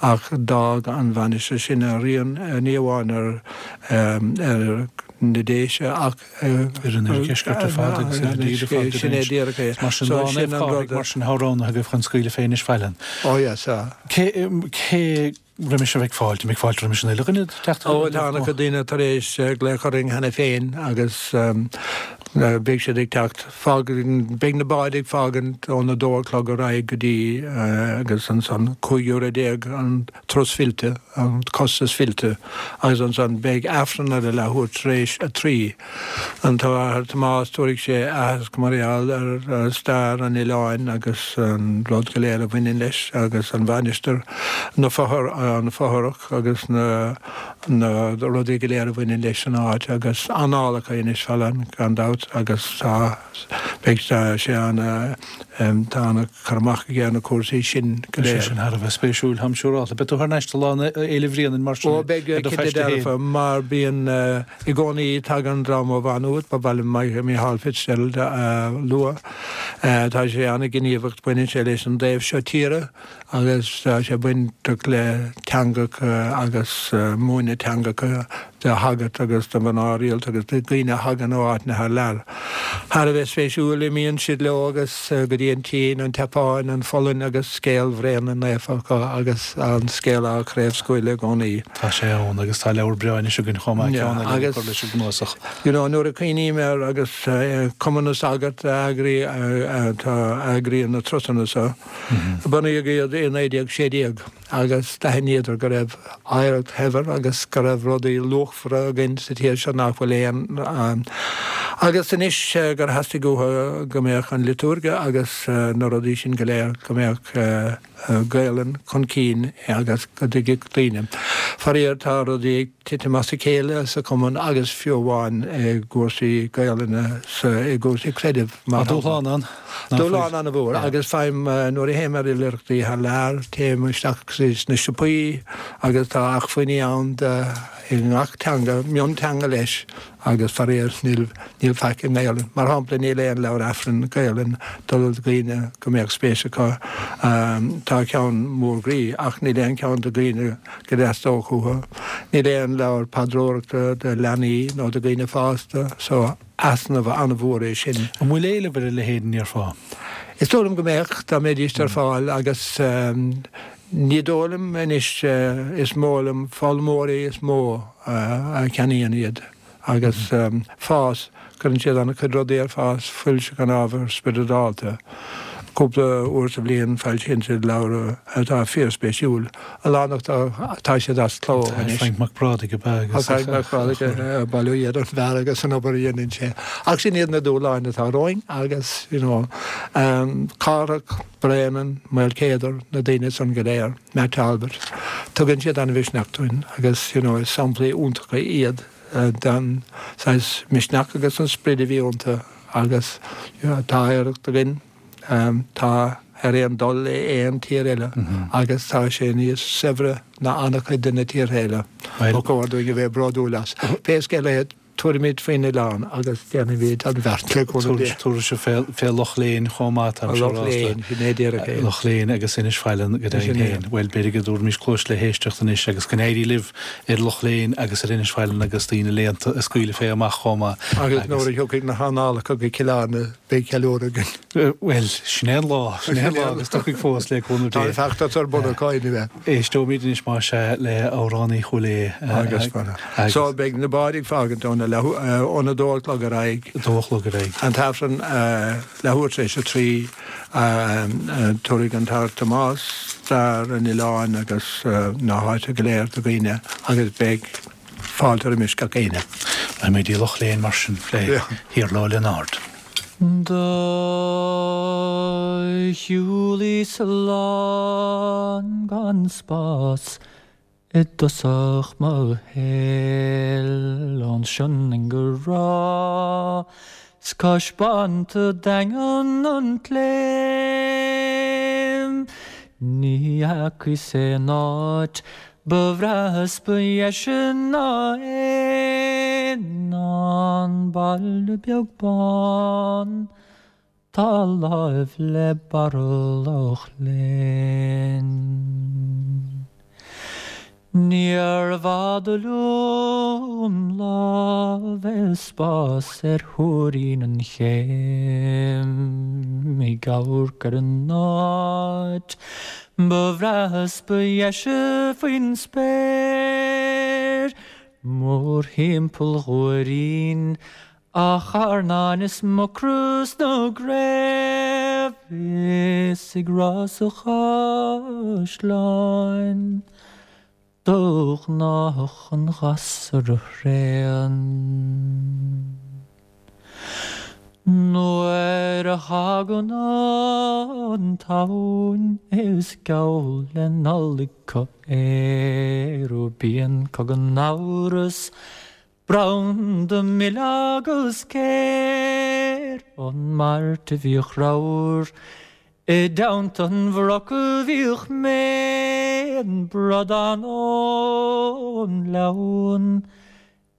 S4: ach d'fhág an mhainistir sin a rian ní amháin ar, ar na Déise ach
S1: ar an oirdheisceart ar fad agus ar an dtír ar fad.
S4: Sin é díreach é.
S1: Mar sin, lá Naomh Cárthaigh, mar sin, atá roghnaithe agaibh chun scaoileadh fé Inis Faithleann.
S4: Ó yes, sea.
S1: Cé, cé roimis a bheidh fáilte, an mbeidh fáilte roimis an uile dhuine teacht
S4: Ó, tá an-chuid daoine tar éis glaoch orainn cheana féin agus beidh siad ag teacht. Fágann, beidh na báid ag fágaint ón a dó a chlog ar aghaidh go dtí agus ansan cúig euro déag an turas fillte, an costas fillte agus ansan beidh Aifreann ar a leathuair tar éis a trí. An tAthair Tomás, tabharfaidh sé aitheasc mar gheall ar stair an oileáin agus an rud go léir a bhaineann leis agus an mhainistir, na fothar, an fothrach agus na na rudaí go léir a bhaineann leis an áit agus annálacha Inis Faithleann gan dabht agus tá beidh sé ana tá ana cur amach aige ar na cúrsaí sin go
S1: léir. Sé sin thar a bheith spéisiúil, táim siúrálta. Beidh tú thar n-ais do Lá Fhéile Bhréanainn mar sin
S4: Ó beidh
S1: ar do
S4: cinnte
S1: phaiste féin.
S4: dearfa mar bíonn i gcónaí tagann dream ó Mhá Nuad, ba mhaith liom Micheál Fitzgerald a lua. Tá sé an-ghníomhach, baineann sé leis an dtaobh seo tíre agus tá sé bainteach le teangacha agus múineadh teangacha do shagairt agus do mhná rialta agus do dhaoine a thagann ó áiteanna thar lear. Thar a bheith spéisiúil, imíonn siad leo agus go dtí an tSín, an tSeapáin, an Pholainn agus scéal Bhréanainn naofa acu agus an scéal á chraobhscaoileadh i gcónaí.
S1: Tá sé ann agus tá leabhar breá anois againn chomh maith, ceann eile le
S4: Agus
S1: cur leis an gcnuasach.
S4: you know nuair a chuimhním air agus Cumann na Sagart a eagraíonn a eagraíonn na turasanna seo, bunaíodh iad i naoi déag sé déag agus d'aithníodar go raibh oidhreacht shaibhir agus go raibh rudaí luachmhara againn sa tír seo nach bhfuil aon agus anois gur theastaigh uathu go mbeadh an liotúirge agus na rudaí sin go léir, go mbeadh Gaelainn chun cinn agus go dtuigfeadh daoine. Faraor tá rudaí ag titim as a chéile sa chumann agus fiú amháin i gcúrsaí Gaelainne sa i gcúrsaí creidimh
S1: mar Tá dúshlán ann,
S4: ná fuil? Dúshlán an-mhór agus faighim nuair a théim ar oilithreachtaí thar lear, téim isteach sna siopaí agus tá acmhainní ann de i ngach teanga, mionteanga leis agus faraor níl níl faic i nGaelainn. Mar shampla níl aon leabhar Aifrinn Gaelainn do dhaoine go mbeadh spéis acu. Tá ceann mór groí ach níl aon cheann do dhaoine go dteastódh uathu. Níl aon leabhar paidreoireachta do leanaí nó do dhaoine fásta so easnamh an-mhór é sin.
S1: An bhfuil éileamh ar a leithéid an ndéarfá?
S4: Is dóigh liom go mbeadh dá mbeidís ar fáil agus ní dóigh liom anois is mó liom foghlaimeoirí is mó a cheannaíonn iad. Agus fás, cuireann siad an-chuid rudaí ar fás, foilseachán ábhar spioradálta. Cúpla uair sa bhliain foilsíonn siad leabhar atá fíorspéisiúil. A lán acu tá siad as cló anois.
S1: Frainc Mac Brádaigh ab ea
S4: agus. Frainc Mac Brádaigh, bail ó Dhia ar an bhfear agus an obair a dhéanann sé. Ach sin iad na dúshláin atá romhainn agus, you know, Cárthach, Bréanainn, Maolcéadar, na daoine san go léir, Matt Talbot, tugann siad an-mhisneach dúinn agus, you know, is samplaí iontacha iad den saghas misneach agus an sprid a bhí iontu agus, you know, tá oidhreacht againn, tá ar aon dul le aon tír eile agus tá sé níos saibhre ná an-chuid de na tíortha eile. Ba chóir dúinn a bheith bródúil as. Pé scéal é, tabharfaimid faoin oileán agus déanfaimid an bheart le cúnamh Dé.
S1: Tabharfaidh sibh fé Loch Léin chomh maith, tá
S4: mise Loch Léin, sin é díreach é.
S1: Loch Léin agus Inis Faithleann go deimhin féin. Bhuel, b'fhéidir go dtabharfaimis cluas le héisteacht anois agus go n-éirí libh ar Loch Léin agus ar Inis Faithleann agus daoine léannta a scaoileadh fé amach chomh maith.
S4: Agus nuair a thiocfaidh na hannálacha go Cill Airne, beidh ceiliúradh againn.
S1: Bhuel, sin é an lá, sin é an lá agus tiocfaidh fós le cúnamh
S4: Dé. Tá an feachtas ar bun acu anyway.
S1: Éisteoimid anois más ea le amhránaí Chúil
S4: Aodha. Agus agus. So beidh na báid ag fágaint óna leath, óna dó a chlog ar aghaidh.
S1: A dó a chlog ar aghaidh.
S4: An tAifreann leathuair tar éis a trí, tabharfaidh an tAthair Tomás stair an oileáin agus na háite go léir do dhaoine agus beidh fáilte roimis gach éinne.
S1: Beimid i Loch Léin mar sin le hIarla Ó Lionáird.
S5: Do shiúlaíos lán gan spás i dtosach mo shaoil ón Sionainn go Ráth 's cois Bonnta daingean an tSléim. Ní fheacaíos aon áit ba bhreátha 's ba dheise ná é ná an baile beag bán 'tá láimh le barra Loch Léin. Níorbh fhada liom lá bheith spás ar Thuairín an Chéim ag amharc ar an áit ba bhreátha 's ba dheise faoin spéir mórthimpeall Thuairín a charnáin is mucra 's na gcraobh is ag Ros a' Chaisleáin. Do ghnách an ghasra thréan. Nuair a thagann an tSamhain is geall le Nollaig acu é bíonn acu gan amhras branda mil agus céir. An Mhairt a bhíodh ramhar i dteannta an bhroc a bhíodh mé, an bradán ón ngleann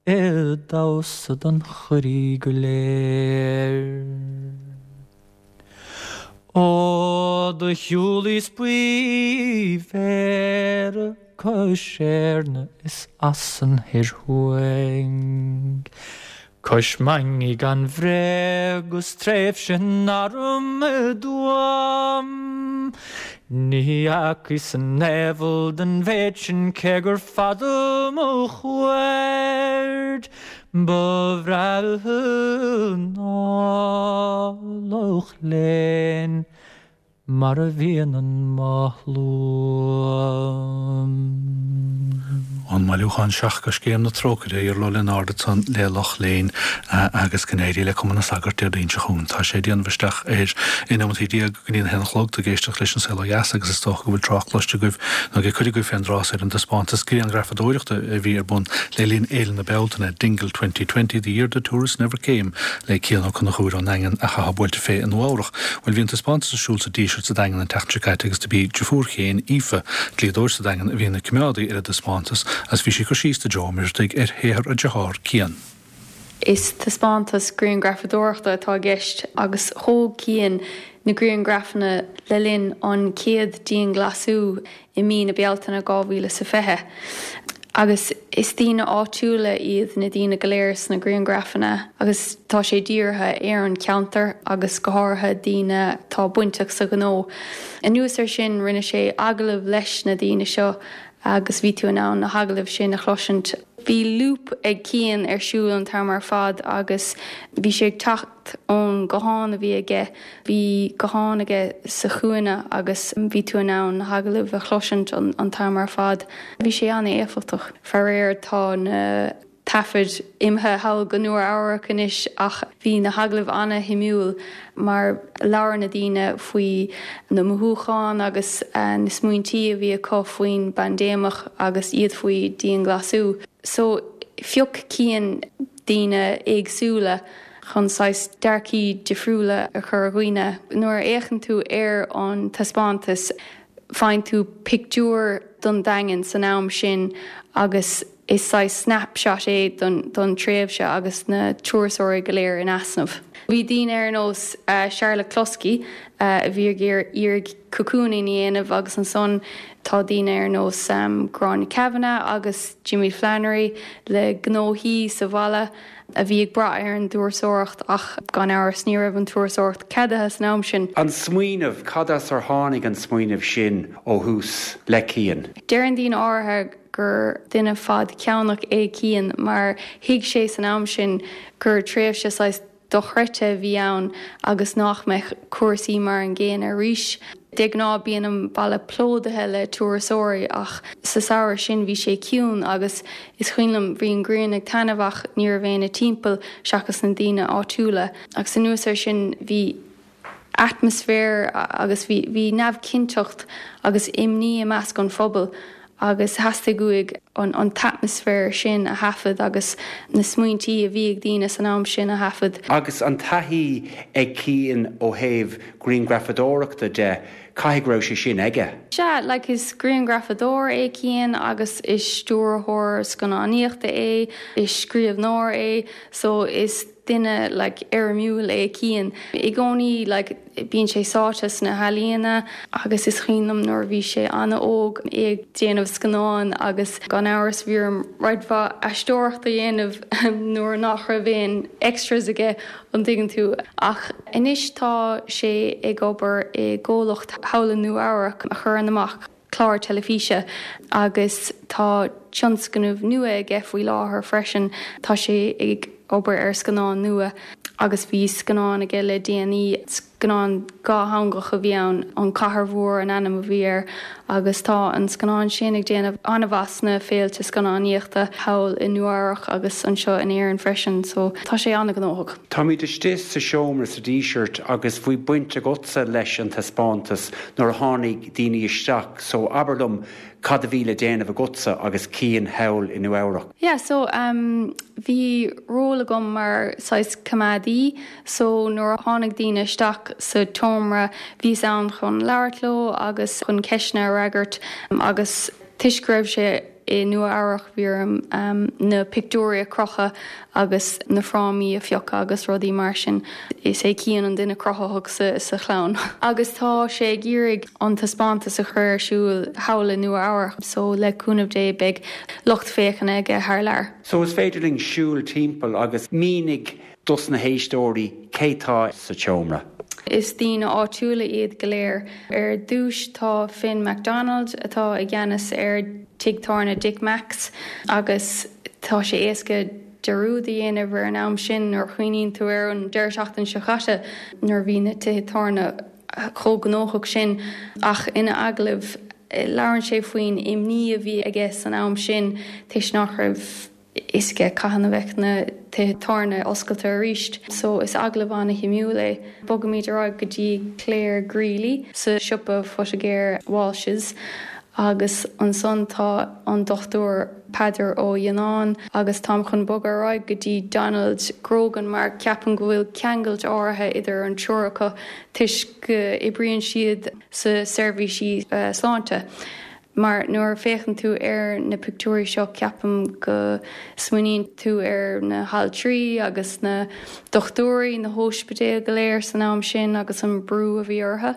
S5: ag damhsa don chuirí go léir. Ó do shiúlaíos faoi Bhéarra cois Éirne is as an thoir thuaidh. Cois Mainge gan bhréag 'gus tréimhse in arm i dTuaim. Ní fheacaíos an aimheal den mhéid sin cé gur fada mo chuaird. Ba bhreátha ná Loch Léin mar a bhíonn an mathlua.
S1: Ón mbailiúchán Seacht gCoiscéim na Trócaire, Iarla Ó Lionáird ansan le Loch Léin agus go n-éirí le Cumann na Sagart Déardaoin seo chugainn. Tá sé ag déanamh isteach ar aon neomataí déag go dtí an haon a chlog tú ag éisteacht leis An Saol Ó Dheas agus is dócha go bhfuil trácht cloiste agaibh nó ag cuid agaibh fén dtráth ar an dtaispeántas grianghrafadóireachta a bhí ar bun le linn Fhéile na Bealtaine, Dingle Twenty Twenty, The Year the Tourists Never Came le Cian Ó Conchúir ón nDaingean a chaithfeá buailte fé i Nua-Eabhrac. Bhuel bhí an taispeántas ar siúl sa Díseart sa Daingean an tseachtain seo caite agus do b'í deirfiúr Chiain, Aoife, dlíodóir sa Daingean a bhí ina coimeádaí ar an dtaispeántas agus bhí sí ag cur síos do Joe Ó Muircheartaigh ar shaothar a dearthár, Cian.
S6: Is taispeántas grianghrafadóireachta atá i gceist agus thóg Cian na grianghrafanna le linn an chéad dianghlasáil i mí na Bealtaine dhá mhíle is a fiche. Agus is daoine áitiúla iad na daoine go léir sna grianghrafanna agus tá sé dírithe ar an cheantar agus go háirithe daoine atá bainteach sa ghnó. Anuas air sin rinne sé agallamh leis na daoine seo agus bhí tú in ann na hagallaimh sin a chloisint. Bhí loop ag Cian ar siúl an t-am ar fad agus bhí sé ag teacht ón guthán a bhí aige, bhí guthán aige sa chúinne agus bhí tú in ann na hagallaimh a chloisint an, an t-am ar fad. Bhí sé an-éifeachtach. Faraor tá na taifid imithe thall go Nua Eabhrac anois ach bhí na hagallaimh an-shuimiúil mar labhair na daoine faoi na mothúcháin agus na smaointí a bhí acu faoin bpaindéimeach agus iad faoi dianghlasáil. So phioc Cian daoine éagsúla chun saghas dearcthaí difriúla a chur ar dhaoine. Nuair a fhéachann tú ar an taispeántas faigheann tú pictiúr don Daingean san am sin agus is saghas snapshot é don, don tréimhse agus na turasóirí go léir in easnamh. Bhí daoine ar nós uh, Charlotte Cluskey uh, a bhí ag iarraidh cocooning a dhéanamh agus ansan tá daoine ar nós um, Gráinne Kavanagh agus Jimmy Flannery le gnóthaí sa bhaile a bhí ag brath ar an dturasóireacht ach gan amhras ní raibh an turasóireacht ceadaithe san am sin.
S7: An smaoineamh cad as ar tháinig an smaoineamh sin ó thús le Cian.
S6: Deireann daoine áirithe gur duine fadcheannach é Cian mar thuig sé san am sin gur tréimhse saghas dochreidte a bhí ann agus nach mbeadh cúrsaí mar an gcéanna arís. De ghnáth bíonn an baile plódaithe le turasóirí ach sa samhradh sin bhí sé ciúin agus is cuimhin liom bhí an ghrian ag taitneamh ach ní raibh éinne timpeall seachas na daoine áitiúla. Agus anuas air sin bhí atmaisféar agus bhí bhí neamhchinnteacht agus imní i measc an phobail agus theastaigh uaidh an, an t-atmaisféar sin a thaifead agus na smaointí a bhí ag daoine san am sin a thaifead.
S7: Agus an taithí ag Cian ó thaobh grianghrafadóireachta de caithfidh go raibh sé sin aige.
S6: Sea, like is grianghrafadóir é Cian agus is stiúrthóir scannánaíochta é, is scríbhneoir é, so is duine like, éirimiúil é Cian. I gcónaí like, bíonn sé sáite sna healaíona agus is cuimhin liom nuair bhí sé an-óg é ag déanamh scannán agus gan amhras bhí air roinnt mhaith aisteoireacht a dhéanamh nuair nach raibh aon extras aige an dtuigeann tú. Ach anois tá sé ag obair i gcomhlacht thall i Nua Eabhrac a chuireann amach clár teilifíse agus tá tionscnamh nua aige faoi láthair freisin tá sé ag obair ar scannán nua agus bhí scannán aige le déanaí scannán dátheangach a bhí ann an Chathair Mhór an ainm a bhí air agus tá an scannán sin ag déanamh an-mhaith sna féilte scannánaíochta thall i Nua Eabhrac agus anseo in Éirinn freisin, so tá sé an-ghnóthach.
S7: Táimid istigh sa seomra sa Díseart agus bhí baint agatsa leis an taispeántas nuair a tháinig daoine isteach, so abair liom cad a bhí le déanamh agatsa agus Cian thall i Nua Eabhrac.
S6: Yeah, so um, bhí ról agam mar saghas coimeádaí, so nuair a tháinig daoine isteach sa tseomra bhíos ann chun labhairt leo agus chun ceisteanna a fhreagairt agus toisc go raibh sé i Nua Eabhrac bhí orm um, na pictiúirí a chrochadh agus na frámaí a phiocadh agus rudaí mar sin. Is é Cian an duine cruthaitheach sa, sa chlann. Agus tá sé ag iarraidh an taispeántas a chur ar siúl thall i Nua Eabhrac, so le cúnamh Dé beidh lucht féachana aige thar lear.
S7: So is féidir linn siúl timpeall agus mínigh dos na héisteoirí cé tá sa tseomra.
S6: Is daoine áitiúla iad go léir. Ar dtús tá Finn MacDonald atá i gceannas ar Tigh Tábhairne Dick Mack's agus tá sé éasca dearúd a dhéanamh ar an am sin nuair a chuimhníonn tú ar an deireadh seachtaine seo caite nuair bhí na tithe tábhairne chomh gnóthach sin ach ina agallamh labhrann sé faoin imní a bhí aige san am sin toisc nach raibh a fhios aige cathain a bheadh na tithe tábhairne oscailte arís, so is agallamh an-shuimiúil é. Bogaimid ar aghaidh go dtí Claire Greeley sa siopa poitigéir Walsh's agus ansan tá an dochtúir Peadar Ó Dheanáin agus táim chun bogadh ar aghaidh go dtí Donald Grogan mar ceapaim go bhfuil ceangal áirithe idir an triúr acu toisc go oibríonn siad sa seirbhísí uh, sláinte. Mar nuair a féachann tú ar na pictiúirí seo ceapaim go smaoiníonn tú ar na haltraí agus na dochtúirí na hospidéil go léir san am sin agus an brú a bhí orthu.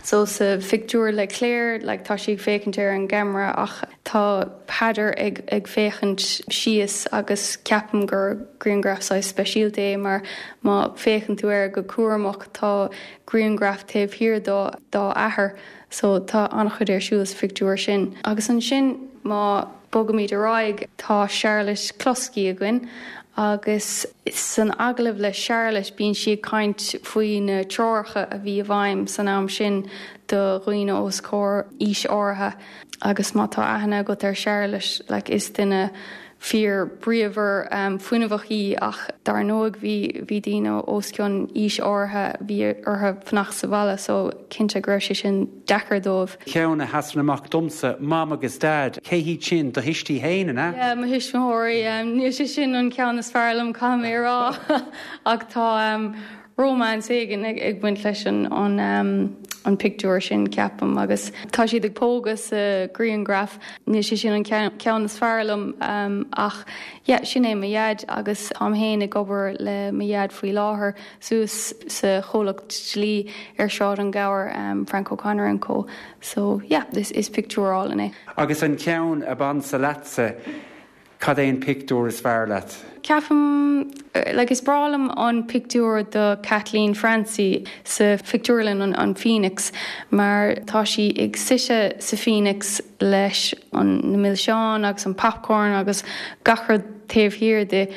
S6: So sa phictiúr le Claire, like, tá sí ag féachaint ar an gceamara ach tá Peadar ag, ag féachaint síos agus ceapaim gur grianghraf speisialta é mar má féachann tú air go cúramach tá grianghraf taobh thiar dá dá athair, so tá an-chuid ar siúl sa phictiúr sin. Agus ansin Má bogaimid ar aghaidh tá Charlotte Cluskey againn agus san agallamh le Charlotte bíonn sí ag caint faoi na treoracha a bhí i bhfeidhm san am sin do dhaoine os comhair aois áirithe agus má tá aithne agat ar Charlotte like, is duine fíor bríomhar um, fuinneamhach í ach dar ndóigh bhí bhí daoine os cionn aois áirithe bhí orthu fanacht sa bhaile so cinnte go raibh sé sin deacair dóibh.
S7: Ceann a sheasann amach domsa Mam agus Dad, cé hiad sin do thuistí féin an ea?
S6: Yeah, mo thuismitheoirí um, níl sé sin an ceann is fearr liom caithfidh mé rá ach tá um, romance éigin ag, ag baint leis an an, um, an pictiúr sin ceapaim agus tá siad ag pógadh sa ghrianghraf níl sé sin an ceann is fearr liom um, ach yeah, sin é mo dhaid agus táim féin ag obair le mo dhaid faoi láthair suas sa chomhlacht dlí ar Sráid an Ghabhair um, Frank O'Connor and Co. So yeah, this is pictiúr álainn é.
S7: Agus an ceann ab ansa leatsa cad é an pictiúr is fearr leat?
S6: Ceapaim like is breá liom an pictiúr de Kathleen Francie sa phictiúrlann an, an Phoenix mar tá sí ag suí sa Phoenix leis an na milseáin agus an popcorn agus gach rud taobh thiar di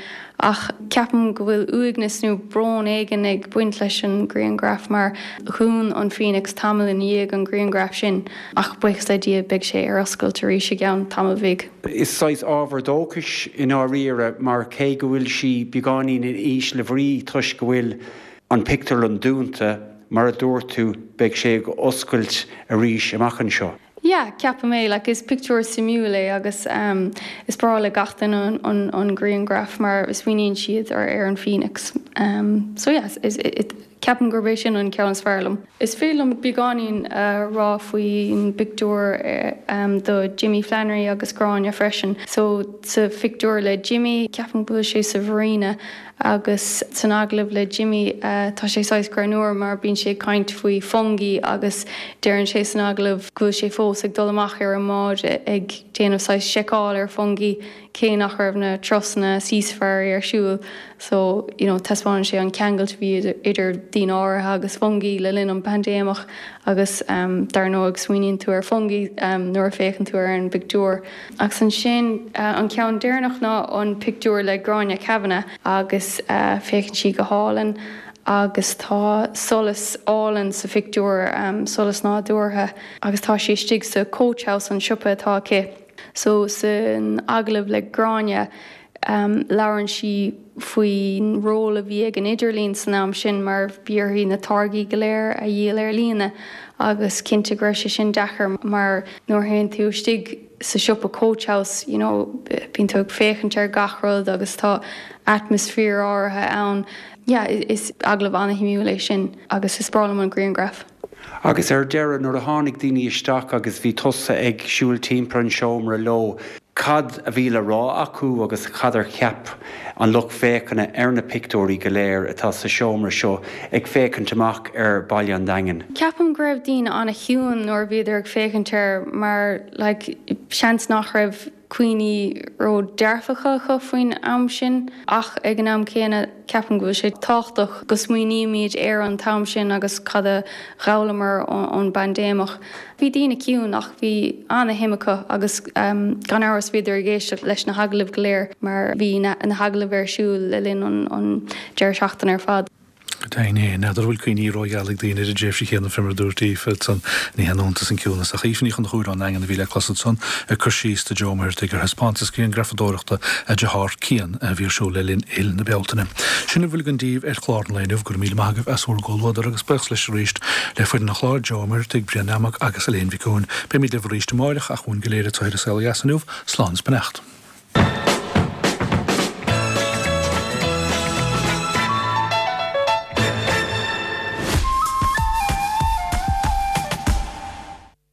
S6: ach ceapaim go bhfuil uaigneas nó brón éigin ag baint leis an ghrianghraf mar dhún an Phoenix tamall i ndiaidh an ghrianghraf sin ach buíochas le Dia beidh sé ar oscailt arís i gceann tamall bhig.
S7: Is saghas ábhar dóchais i ndáiríre mar cé go bhfuil sí beagáinín in ísle brí toisc go bhfuil an pictiúrlann dúnta mar a dúirt tú beidh sé ag oscailt arís amach anseo.
S6: Yeah, ceapaim é like, is pictiúr suimiúil é agus um, is breá le gach duine an, an, an ghrianghraf mar is smaoiníonn siad ar ar an Phoenix. Um, so yes, is, it, ceapaim gurb é sin an ceann is fearr liom. Is féidir liom beagáinín uh, rá faoin bpictiúr uh, um, do Jimmy Flannery agus Gráinne freisin. So sa phictiúr le Jimmy ceapaim go bhfuil sé sa Mharina agus san agallamh le Jimmy uh, tá sé saghas greannmhar mar bíonn sé ag caint faoi fungi agus deireann sé san agallamh go bhfuil sé fós ag dul amach ar an mbád ag déanamh saghas seiceáil ar fungi cé nach raibh na turasanna Sea Safari ar siúl so you know, taispeánann sé an ceangal a bhí idir daoine áirithe agus fungi le linn an paindéimeach agus um, dar ndóigh smaoiníonn tú ar fungi um, nuair a féachann tú ar an bpictiúr. Agus ansin uh, an ceann deireanach ná an pictiúr le Gráinne Kavanagh agus uh, féachann sí go hálainn agus tá solas álainn sa phictiúr um, solas nádúrtha agus tá sí istigh sa Coach House an siopa atá aici. So san agallamh le Gráinne um, labhrann sí faoin ról a bhí ag an idirlíon san am sin mar bhí uirthi na táirgí go léir a dhíol ar líne agus cinnte go raibh sé sin deacair mar nuair a théann tú istigh sa siopa Coach House you know, bíonn tú ag féachaint ar gach rud agus tá atmaisféar áirithe ann. Yeah, is agallamh an-shuimiúil é sin agus is breá liom an ghrianghraf.
S7: Agus ar deireadh nuair a tháinig daoine isteach agus bhí tusa ag siúl timpeall an seomra leo. Cad a bhí le rá acu agus cad a cheap an lucht féachana ar na pictiúirí go léir atá sa seomra seo ag féachaint amach ar Bhaile an Daingin.
S6: Ceapaim go raibh daoine an-chiúin nuair a bhíodar ag féachaint air mar like, seans nach raibh cuimhní ró-dearfacha acu faoin am sin ach ag an am céanna ceapaim go bhfuil sé tábhachtach go smaoinímid ar an t-am sin agus cad a d'fhoghlaimíomar ón bpaindéimeach. Bhí daoine ciúin ach bhí an-shuim acu agus um, gan amhras bhíodar ag éisteacht leis na hagallaimh go léir mar bhí na, na hagallaimh ar siúl le linn an, an deireadh seachtaine ar fad.
S1: Dein é n'fheadar bhfuil cuimhní rógheala ag daoine ar an dtréimhse chéanna fé mar a dúirt Aoife san ní haon iontas an ciúnas ach Aoife Ní Chonchúir ón nDaingean a bhí le clos ansan ag cur síos do Joe Muirtigh ar thaispeántas grianghrafadóireachta a deartháir Cian a bhí ar siúl le linn Fhéile na Bealtaine. Sin a bhfuil againn daoibh ar chlár an lae inniu go raibh míle maith agaibh as bhur gcomhluadar agus buíochas leis arís le foireann an chláir Joe Muirtigh Brian Namag agus Elaine Mhic Eoin. Beimid libh arís amárach ach uainn go léir atá ar an saol dheas inniu, slán is beannacht.